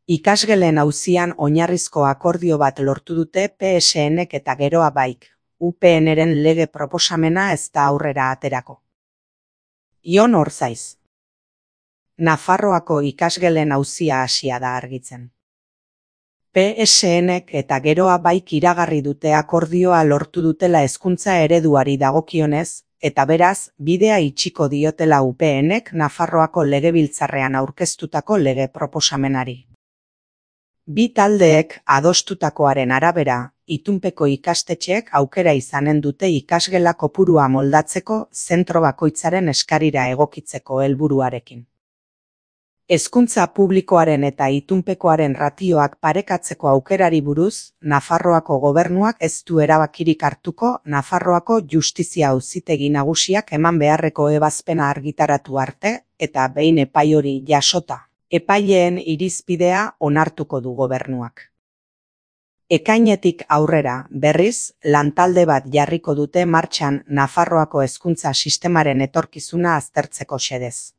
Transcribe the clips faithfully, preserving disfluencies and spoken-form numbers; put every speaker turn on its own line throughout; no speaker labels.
Ikasgelen auzian oinarrizko akordio bat lortu dute P S N-ek eta Geroa Baik, U P N-ren lege proposamena ez da aurrera aterako. Jon Orzaiz. Nafarroako ikasgelen auzia hasia da argitzen. P S N-ek eta Geroa Baik iragarri dute akordioa lortu dutela hezkuntza ereduari dagokionez, eta beraz, bidea itxiko diotela U P N-ek Nafarroako legebiltzarrean aurkeztutako lege proposamenari. Bi taldeek adostutakoaren arabera, itunpeko ikastetxeek aukera izanen dute ikasgela kopurua moldatzeko zentro bakoitzaren eskarira egokitzeko helburuarekin. Hezkuntza publikoaren eta itunpekoaren ratioak parekatzeko aukerari buruz, Nafarroako gobernuak ez du erabakirik hartuko Nafarroako Justizia Auzitegi Nagusiak eman beharreko ebazpena argitaratu arte, eta behin epai hori jasota, epaileen irizpidea onartuko du gobernuak. Ekainetik aurrera, berriz, lantalde bat jarriko dute martxan Nafarroako hezkuntza sistemaren etorkizuna aztertzeko xedez.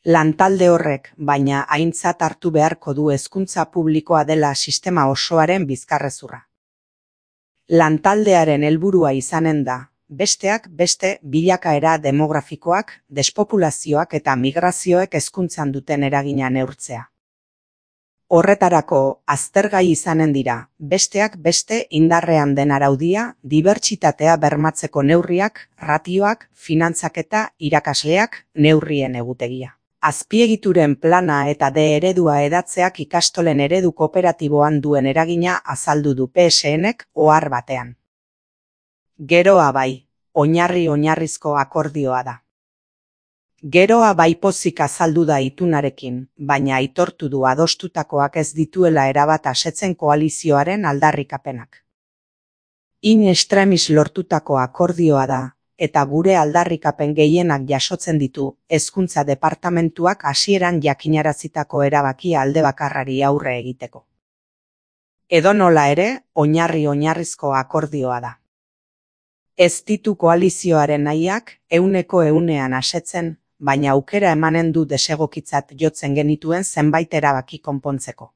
Lantalde horrek, baina aintzat hartu beharko du hezkuntza publikoa dela sistema osoaren bizkarrezurra. Lantaldearen helburua izanen da, besteak beste bilakaera demografikoak, despopulazioak eta migrazioek hezkuntzan duten eragina neurtzea. Horretarako, aztergai izanen dira, besteak beste indarrean den araudia, dibertsitatea bermatzeko neurriak, ratioak, finantzaketa, irakasleak, neurrien egutegia. Azpiegituren plana eta D eredua edatzeak ikastolen eredu kooperatiboan duen eragina azaldu du P S N-ek ohar batean. Geroa Bai, oinarri oinarrizko akordioa da. Geroa Bai pozik azaldu da itunarekin, baina aitortu du adostutakoak ez dituela erabat asetzen koalizioaren aldarrikapenak. In extremis lortutako akordioa da, eta gure aldarrikapen gehienak jasotzen ditu, hezkuntza departamentuak hasieran jakinarazitako erabakia alde bakarrari aurre egiteko. Edonola ere, oinarri oinarrizko akordioa da. Ez ditu koalizioaren nahiak ehuneko ehunean asetzen, baina aukera emanen du desegokitzat jotzen genituen zenbait erabaki konpontzeko.